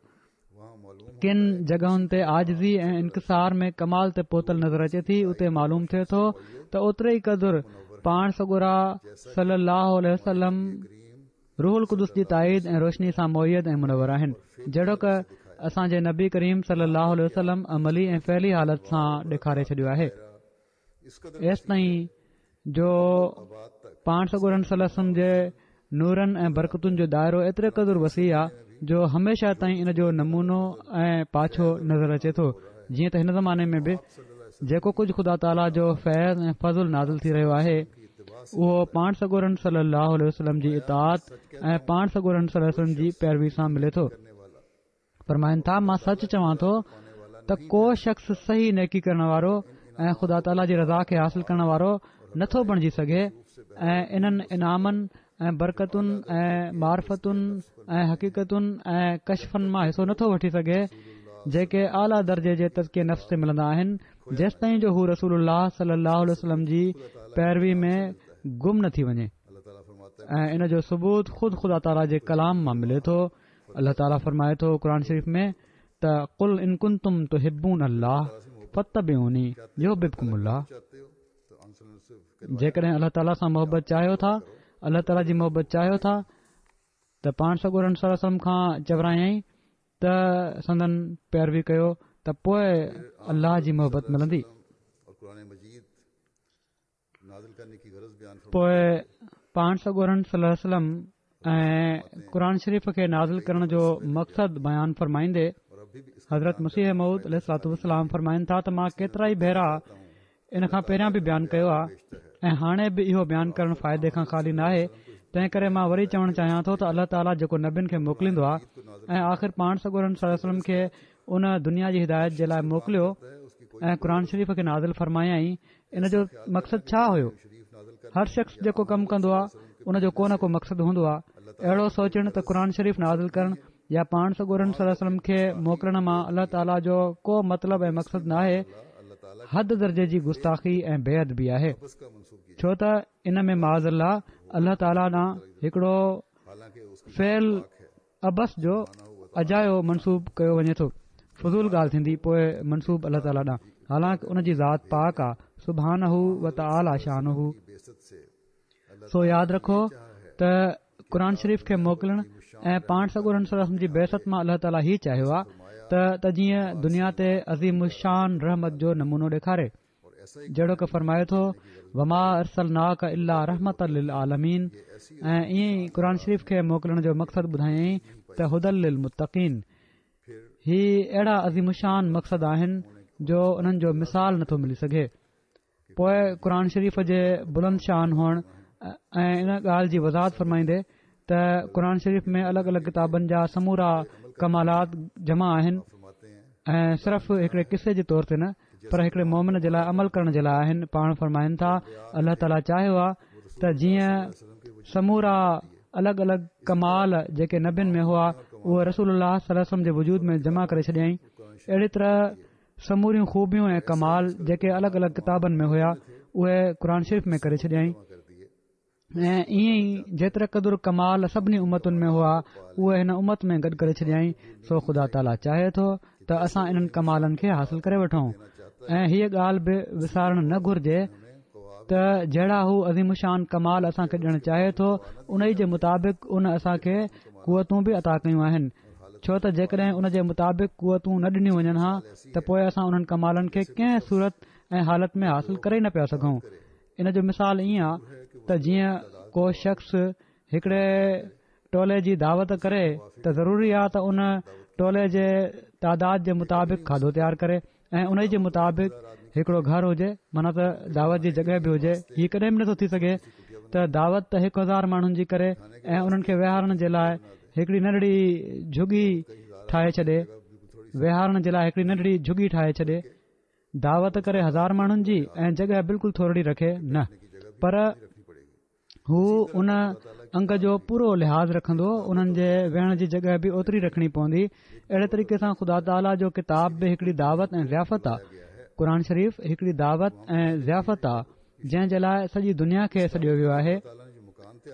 ڪن جڳهن تي عاجزي ۽ انڪسار ۾ ڪمال تي پهتل نظر اچي ٿي اتي معلوم ٿئي ٿو ته اوتري ئي قدر پاڻ سڳورا صلي الله عليه وسلم روح القدس جي تائيد ۽ روشني سان مؤيد ۽ منور آهن جهڙوڪ اسان جي نبي ڪريم صلي الله عليه وسلم عملي ۽ فعلي حالت سان ڏيکاري ڇڏيو آهي ايستائين جو پاڻ سڳورن صلي الله عليه وسلم جي نورن ۽ برڪتن جو دائرو ايتري قدر وسيع آهي جو هميشه تائين ان جو نمونو ۽ پاڇو نظر اچي ٿو جيئن ته هن زماني ۾ به جيڪو ڪجهه خدا تعاليٰ جو فيض ۽ فضل نازل ٿي رهيو آهي اهو پاڻ سڳورن صلي الله عليه وسلم جي اطاعت ۽ پاڻ سڳورن صلي الله عليه وسلم جي پيروي سان ملي ٿو. فرمائن ٿا مان سچ چوان ٿو ته ڪو شخص صحيح نيڪي ڪرڻ وارو ۽ خدا تعاليٰ جي رضا کي حاصل ڪرڻ وارو نٿو بڻجي سگهي ۽ انهن انعامن ۽ برڪتن ۽ معرفتن ۽ حقيقتن ۽ ڪشفن مان حصو نٿو وٺي سگهي جيڪي اعليٰ درجي جي تزڪيه نفس تي ملندا آهن جيستائين جو هو رسول الله صلي الله عليه وسلم جي پيروي ۾ گم نه ٿي وڃي ۽ ان جو ثبوت خود خدا تعاليٰ جي ڪلام مان ملي ٿو الله تعاليٰ فرمائي ٿو قرآن شريف ۾ ته قل ان ڪنتم تحبون الله فاتبعوني يحببڪم الله جيڪڏهن الله تعاليٰ سان محبت چاهيو ٿا الله تعاليٰ جي محبت چاهيو ٿا ته پاڻ سڳورن صلي الله عليه وسلم کان چورايائين ته سندن پيروي ڪيو ته پوء الله جي محبت ملندي پوء پاڻ سڳورن صلي الله عليه وسلم ۽ قرآن شريف کي نازل ڪرڻ جو مقصد بيان فرمائيندي حضرت مسيح موعود عليه الصلوة والسلام فرمائن ٿا ته مان ڪيترا ئي ڀيرا ان کان پهريان به بيان ڪيو آهي ۽ هاڻي به اهو بيان ڪرڻ فائدي کان خالي ناهي تنهن ڪري مان وري چوڻ چاهيان ٿو ته الله تعاليٰ جيڪو نبين کي موڪليندو آهي ۽ آخر پاڻ سڳورن صلي الله عليه وسلم کي ان دنيا جي هدايت جي لاء موڪليو ۽ قرآن شريف کي نازل فرمايائين ان جو مقصد ڇا هيو؟ هر شخص جيڪو ڪم ڪندو آهي ان جو ڪو نه ڪو مقصد هوندو آهي اهڙو سوچڻ ته قرآن شريف نازل ڪرڻ يا پاڻ سڳورن صلي الله عليه وسلم کي موڪلڻ مان الله تعاليٰ جو ڪو مطلب ۽ مقصد ناهي حد درجي جي گستاخي ۽ بي ادبي آهي ڇو ته ان ۾ معاذ الله الله تعاليٰ ڏانهن هڪڙو فعل عبث جو اجايو منسوب ڪيو وڃي ٿو فضول ڳالهه ٿيندي پوء منسوب الله تعاليٰ ڏانهن حالانڪ ان جي ذات پاڪ آ سبحانه وتعاليٰ شانه سو ياد رکو ته قرآن شريف کي موڪلڻ ۽ پاڻ سڳورن صلي الله عليه وسلم جي بعثت مان الله تعاليٰ هي چاهيو آ ته ته جيئن دنيا تي عظيم الشان رحمت جو نمونو ڏيکاري جهڙوڪ فرمائي ٿو وما ارسلناڪ الا رحمة للعالمين ۽ ائين ئي قرآن شريف کي موڪلڻ جو مقصد ٻڌايائين ته هدي للمتقين هي اهڙا عظيم الشان مقصد آهن جو انهن جو مثال نٿو ملي سگهي پوء قرآن شريف جي بلند شان هئڻ ۽ ان ڳالهه جي وضاحت فرمائيندي ته قرآن شريف ۾ الڳ الڳ ڪتابن جا سمورا ڪمالات جمع آهن ۽ صرف هڪڙي قصي جي طور تي نه پر هڪڙي مومن جي لاء عمل ڪرڻ جي لاء آهن پاڻ فرمائن ٿا الله تعاليٰ چاهيو آ ته جيئن سمورا الڳ الڳ ڪمال جيڪي نبين ۾ هئا اهي رسول الله صلي الله عليه وسلم جي وجود ۾ جمع ڪري ڇڏيائين اهڙي طرح سموريون خوبيون ۽ ڪمال جيڪي الڳ الڳ ڪتابن ۾ هيا اهي قرآن شريف ۾ ڪري ڇڏيائين ۽ ائين ئي جيتري قدر ڪمال سڀني امتن ۾ هئا اهي هن امت ۾ گڏ ڪري ڇڏيائين سو خدا تعاليٰ چاهي ٿو ته اسان انهن ڪمالن کي حاصل ڪري وٺون ۽ هيء ڳالهه به وسارڻ نه گهرجي ته جهڙا هو عظيم الشان ڪمال اسان کي ڏيڻ چاهي ٿو ان ئي جي مطابق ان اسان کي قوتون به عطا ڪيون آهن ڇو ته جيڪڏهن ان جي مطابق قوتون نه ڏنيون وڃن ها ته پوء اسان انهن ڪمالن کي ڪنهن صورت ۽ حالت ۾ حاصل ڪري ئي نه پيا سگهون. ان جو مثال ائين آ ته جيئن ڪو شخص هڪڙي ٽولي جي دعوت ڪري ته ضروري آ ته ان ٽولي جي تعداد جي مطابق کاڌو تيار ڪري ۽ انهي جي مطابق هڪڙو گهر هجي معنيٰ ته دعوت جي جڳهه به هجي. هي ڪڏهن به نٿو ٿي سگهي ته دعوت ته 1000 ماڻهن جي ڪري ۽ انهن کي ويهارڻ جي لاء هڪڙي ننڍڙي جهڳي ٺاهي ڇڏي ويهارڻ جي لاء هڪڙي ننڍڙي جهڳي ٺاهي ڇڏي. دعوت ڪري هزار ماڻهن جي ۽ جڳهه بلڪل ٿورڙي رکي نه پر هو ان انگ جو پورو لحاظ رکندو انهن جي ويهڻ جي جڳهه به اوتري رکڻي پوندي اهڙي طريقي سان خدا تعاليٰ جو ڪتاب به هڪڙي دعوت ۽ ضيافت آ قرآن شريف هڪڙي دعوت ۽ ضيافت آ جنهن جي لاء سڄي دنيا کي سڏيو ويو آهي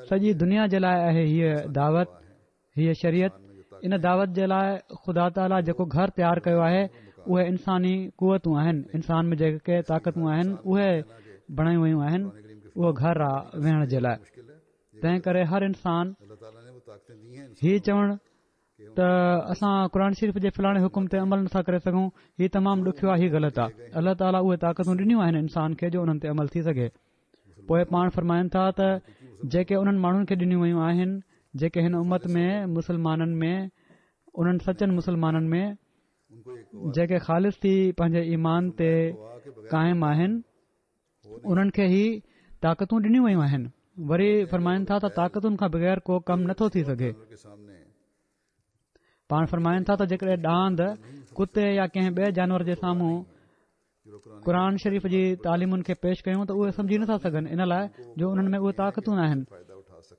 سڄي دنيا جي لاء آهي هيء دعوت هيء شريعت ان دعوت جي لاء خدا تعاليٰ جيڪو گهر تيار ڪيو آهي اهي انساني قوتون آهن انسان ۾ جيڪي طاقتون آهن اهي بڻايون ويون آهن اهو گهر آ ويهڻ جي لاء تنهن ڪري هر انسان هي چوڻ ته اسان قرآن شريف جي فلاڻي حڪم تي عمل نٿا ڪري سگهون هي تمام ڏکيو آهي هي غلط آهي الله تعاليٰ اهي طاقتون ڏنيون آهن انسان کي جو انهن تي عمل ٿي سگهي پوء پاڻ فرمائن ٿا ته جيڪي انهن ماڻهن کي ڏنيون ويون آهن جيڪي هن امت ۾ مسلمانن ۾ انهن سچن مسلمانن ۾ جيڪي خالص ٿي پنهنجي ايمان تي قائم آهن انهن کي هي طاقتون ڏنيون ويون آهن وري فرمائن ٿا ته طاقتن کان بغير ڪو ڪم نٿو ٿي سگهي پاڻ فرمائن ٿا ته جيڪڏهن ڏاند ڪتي يا ڪنهن ٻئي جانور جي سامهون قرآن شريف جي تعليمن کي پيش ڪيون ته اهي سمجهي نٿا سگهن ان لاء جو انهن ۾ اهي طاقتون ناهن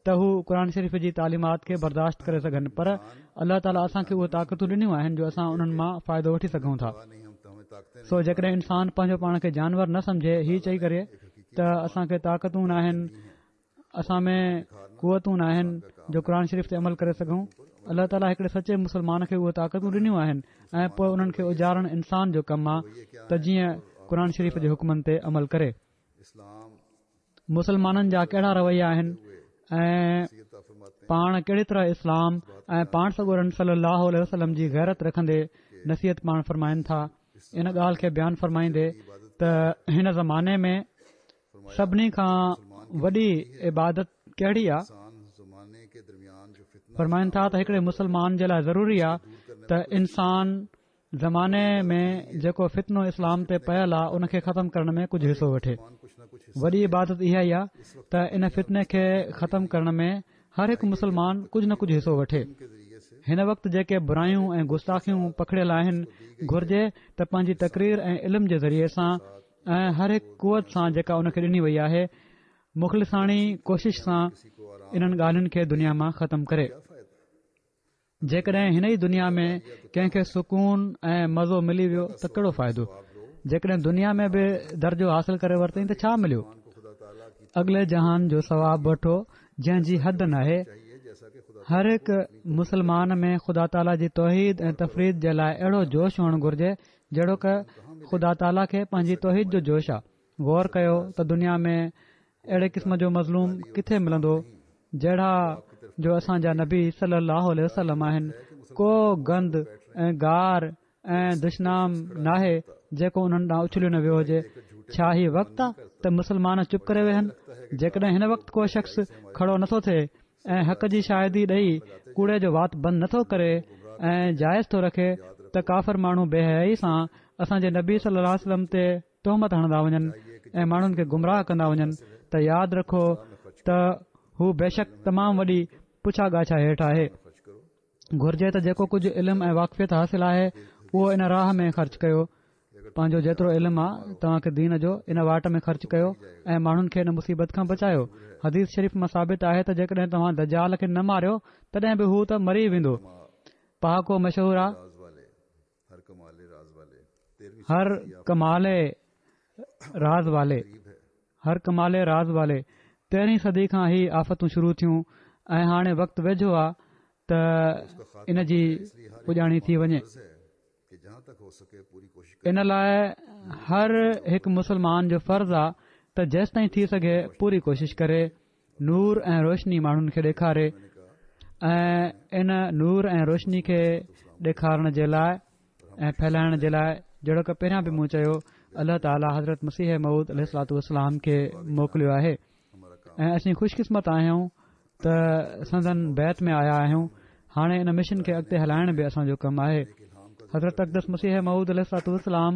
ته هو قرآن شريف جي تعليمات کي برداشت ڪري سگهن پر الله تعاليٰ اسان کي اهي طاقتون ڏنيون آهن جو اسان انهن مان فائدو وٺي سگهون ٿا سو جيڪڏهن انسان پنهنجو پاڻ کي جانور نه سمجهي هي چئي ڪري ته اسان کي طاقتون ناهن اسان ۾ قوتون ناهن جو قرآن شريف تي عمل ڪري سگهون الله تعاليٰ هڪڙي سچي مسلمان کي اهي طاقتون ڏنيون آهن ۽ پوء انهن کي اجارڻ انسان جو ڪم آهي ته جيئن قرآن شريف جي حڪمن تي عمل ڪري مسلمانن جا ڪهڙا رويا آهن ۽ پاڻ ڪهڙي طرح اسلام ۽ پاڻ سڳورن صلي الله عليه وسلم جي غيرت رکندي نصيحت پاڻ فرمائن ٿا ان ڳالهه کي بيان فرمائيندي ته هن زماني ۾ سڀني کان وڏي عبادت ڪهڙي آ؟ فرمائن ٿا ته هڪڙي مسلمان جي لاء ضروري آ ته انسان زماني ۾ جيڪو فتنو اسلام تي پيل آ ان کي ختم ڪرڻ ۾ ڪجهه حصو وٺي. وڏي عبادت اها ئي آ ته ان فتني کي ختم ڪرڻ ۾ هر هڪ مسلمان ڪجهه نه ڪجهه حصو وٺي. هن وقت جيڪي برايون ۽ گستاخيون پکڙيل آهن گهرجي ته پنهنجي تقرير ۽ علم جي ذريعي سان ۽ هر هڪ قوت سان جيڪا ان کي ڏني وئي آهي مخلصاڻي ڪوشش سان انهن ڳالهين کي دنيا مان ختم ڪري. جيڪڏهن هن ئي دنيا ۾ ڪنهن کي سڪون ۽ مزو ملي ويو ته ڪهڙو فائدو؟ جيڪڏهن دنيا ۾ به درجو حاصل ڪري ورتائين ته ڇا مليو؟ اڳلي جهان جو ثواب وٺو جنهن جي حد ناهي. هر هڪ مسلمان ۾ خدا تعاليٰ جي توحيد ۽ تفريد جي لاء اهڙو جوش هئڻ گهرجي جهڙوڪ خدا تعاليٰ کي پنهنجي توحيد جو جوش آ. غور ڪيو ته دنيا ۾ اهڙي قسم جو مظلوم ڪٿي ملندو جهڙا جو اسان جا نبي صلي الله عليه وسلم آهن ڪو گند ۽ گار ۽ دشنام ناهي جيڪو انهن ڏانهن اڇليو نه ويو هجي ڇا هي وقت آ ته مسلمان چپ ڪري ويهن جيڪڏهن هن وقت ڪو شخص کڙو نٿو ٿئي ۽ حق جي شاهدي ڏئي ڪوڙي جو وات بند نٿو ڪري ۽ جائز ٿو رکي ته ڪافر ماڻهو بي حيائي سان اسان جي نبي صلي الله عليه وسلم تي تهمت هڻندا وڃن ۽ ماڻهن کي گمراهه ڪندا وڃن ته ياد رکو ته هو بيشڪ تمام وڏي پڇا ڳاڇا هيٺ آهي. گهرجي ته جيڪو ڪجهه علم ۽ واقفيت حاصل آهي اهو ان راهه ۾ خرچ ڪيو پنهنجو جيترو علم آ توهان کي دين جو ان واٽ ۾ خرچ ڪيو ۽ ماڻهن کي ان مصيبت کان بچايو حديث شريف مان ثابت آهي ته جيڪڏهن توهان دجال کي نه ماريو تڏهن به هو ته مري ويندو پهاڪو مشهور آ هر ڪمال راز والي هر ڪمال راز والي تيرهين صدي کان هي آفتون شروع ٿيون ۽ هاڻي وقت ويجهو آ ته ان جي پڄاڻي ٿي وڃي. ان لاء هر هڪ مسلمان جو فرض آ ته جيستائين ٿي سگهي پوري ڪوشش ڪري نور ۽ روشني ماڻهن کي ڏيکاري ۽ ان نور ۽ روشني کي ڏيکارڻ جي لاء ۽ ڦهلائڻ جي لاء جهڙوڪ پهريان به مون چيو الله تعاليٰ حضرت مسيح موعود عليه الصلوة والسلام کي موڪليو آهي ۽ اسين خوش قسمت آهيون ته سندن بيعت ۾ آيا آهيون هاڻي ان مشن کي اڳتي هلائڻ به اسان جو ڪم آهي حضرت اقدس مسيح موعود عليه الصلوة والسلام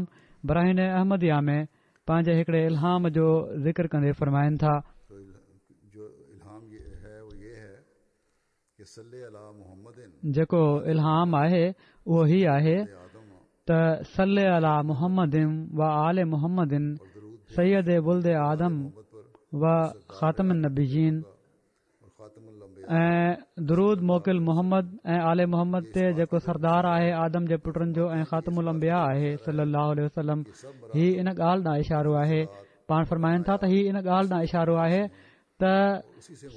براهين احمديه ۾ پنهنجي هڪڙي الهام جو ذڪر ڪندي فرمائن ٿا. جيڪو الهام آهي اهو هي آهي ته صل علي محمد و آل محمد سيد ولد آدم و خاتم النبيين ۽ درود موڪل محمد ۽ آل محمد تي جيڪو سردار آهي آدم جي پٽن جو ۽ خاتم الانبياء آهي صلي الله عليه وسلم هي ان ڳالهه ڏانهن اشارو آهي پاڻ فرمائن ٿا ته هي ان ڳالهه ڏانهن اشارو آهي ته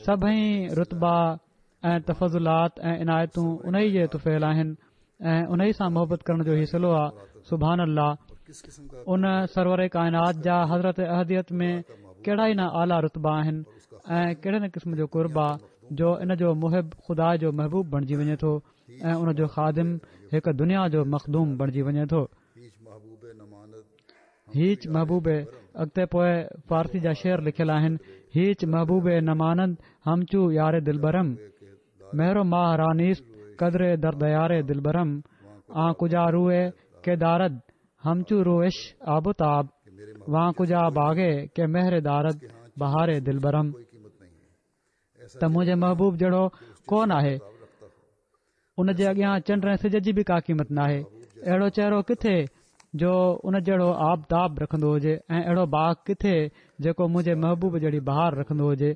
سڀئي رتبا ۽ تفضلات ۽ عنايتون انهي جي طفيل آهن ۽ انهي سان محبت ڪرڻ جو هي صلو آ سبحان الله ان سرور ڪائنات جا حضرت احديت ۾ ڪهڙا ئي نه اعليٰ رتبا آهن ۽ ڪهڙي نه قسم جو قرب آ جو ان جو محب خدا جو محبوب بڻجي وڃي ٿو ۽ ان جو خادم هڪ دنيا جو مخدوم بڻجي وڃي ٿو هيچ محبوب اڳتي پوء فارسي جا شعر لکيل آهن هيچ محبوب نماند همچو يار دلبرم مهر و ماه را نيست قدر در ديار دلبرم آن ڪجا روئي ڪه دارد همچو رويش آب و تاب وان ڪجا باغي ڪه مهر دارد بهار دلبرم ته منهنجي محبوب جهڙو ڪو ناهي ان جي اڳيان چنڊ ۽ سج جي به ڪا قيمت ناهي اهڙو چهرو ڪٿي جو ان جهڙو آب تاب رکندو هجي ۽ اهڙو باغ ڪٿي جيڪو منهنجي محبوب جهڙي بهار رکندو هجي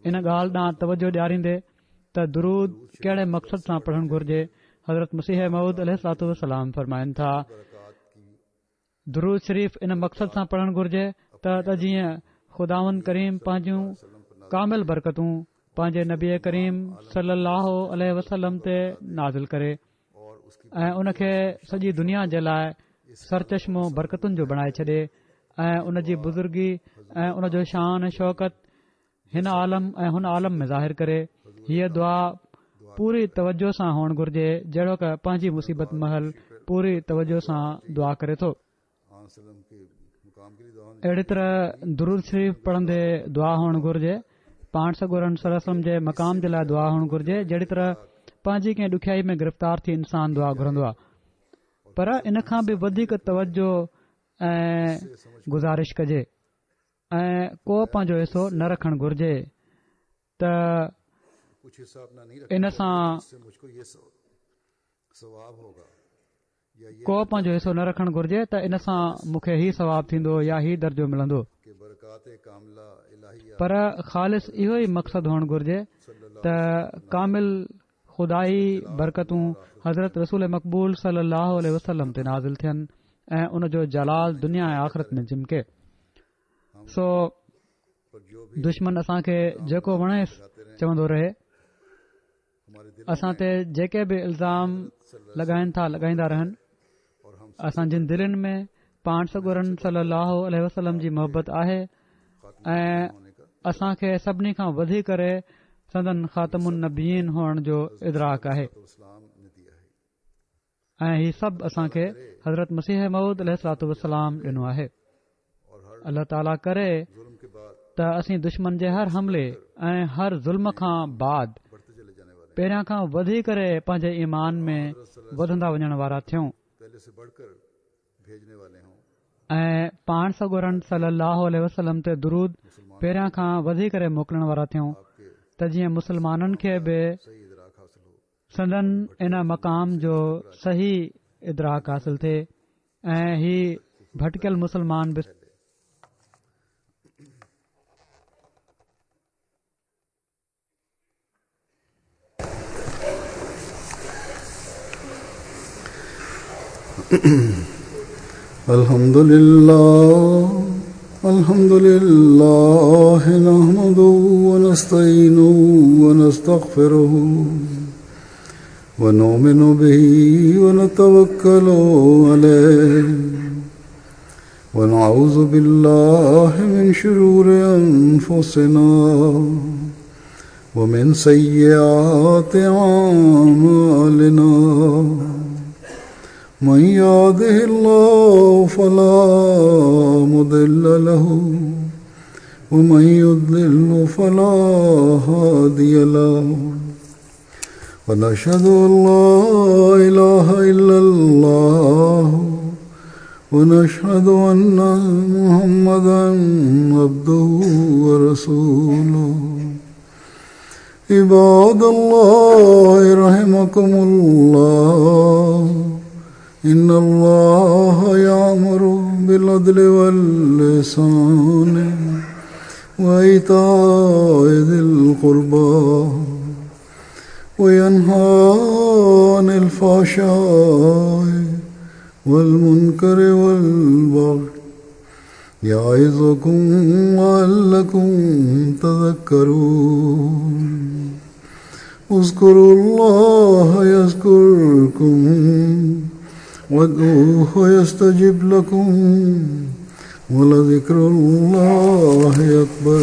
ان ڳالهه ڏانهن توجه ڏياريندي ته درود ڪهڙي مقصد سان پڙهڻ گهرجي حضرت مسيح موعود عليه الصلوة والسلام فرمائن ٿا درود شريف ان مقصد سان پڙهڻ گهرجي ته جيئن خداوند ڪريم پنهنجون ڪامل برڪتون پنهنجي نبي ڪريم صلي الله عليه وسلم تي نازل ڪري ۽ ان کي سڄي دنيا جي لاء سرچشمو برڪتن جو بڻائي ڇڏي ۽ ان جي بزرگي ۽ ان جو شان شوڪت هن عالم ۽ هن عالم ۾ ظاهر ڪري. هيء دعا پوري توجه سان هئڻ گهرجي جهڙوڪ پنهنجي مصيبت مهل پوري توجه سان دعا ڪري ٿو. اهڙي طرح درود شريف پڙهندي دعا هئڻ گهرجي. پاڻ سڳورن صلي الله عليه وسلم جي مقام جي لاء دعا هئڻ گهرجي جهڙي طرح پنهنجي ڪنهن ڏکيائي ۾ گرفتار ٿي انسان دعا گهرندو آهي. پر ان کان به وڌيڪ توجه ۽ گذارش ڪجي. ۽ ڪو پنهنجو حصو نه رکڻ گهرجي ته ان سان ڪو پنهنجو حصو نه رکڻ گهرجي ته ان سان مون کي هي ثواب ٿيندو يا هي درجو ملندو پر خالص اهو ئي مقصد هئڻ گهرجي ته ڪامل خدائي برڪتون حضرت رسول مقبول صلي الله عليه وسلم تي نازل ٿين ۽ ان جو جلال دنيا ۽ آخرت ۾ چمڪي سو دشمن اسان کي جيڪو وڻيس چوندو رهي اسان تي جيڪي به الزام لڳائن ٿا لڳائيندا رهن اسان جن دلين ۾ پاڻ سڳورن صلي الله عليه وسلم جي محبت آهي ۽ اسان کي سڀني کان وڌي ڪري سندن خاتم النبيين هئڻ جو ادراڪ آهي ۽ هي سڀ اسان کي حضرت مسيح موعود عليه الصلوة والسلام ڏنو آهي الله تعاليٰ ڪري ته اسين دشمن جي هر حملي ۽ هر ظلم کان بعد پهريان کان وڌي ڪري پنهنجي ايمان ۾ وڌندا وڃڻ وارا ٿيون ۽ پاڻ سڳورن صلي الله عليه وسلم تي درود پهريان کان وڌي ڪري موڪلڻ وارا ٿيون ته جيئن مسلمانن کي به سندن ان مقام جو صحيح ادراڪ حاصل ٿئي ۽ هي ڀٽڪيل مسلمان به الحمد لله الحمد لله نحمده ونستعينه ونستغفره ونؤمن به ونتوكل عليه ونعوذ بالله من شرور أنفسنا ومن سيئات أعمالنا. من يهده الله فلا مضل له ومن يضلل فلا هادي له ونشهد أن لا إله إلا الله ونشهد أن محمدا عبده ورسوله. عباد الله رحمكم الله، إن الله يأمر بالعدل والإحسان وإيتاء ذي القربى وينهى عن الفحشاء والمنكر والبغي يعظكم لعلكم تذكرون. اذكروا الله يذكركم وادعوه يستجب لكم ولذكر الله أكبر.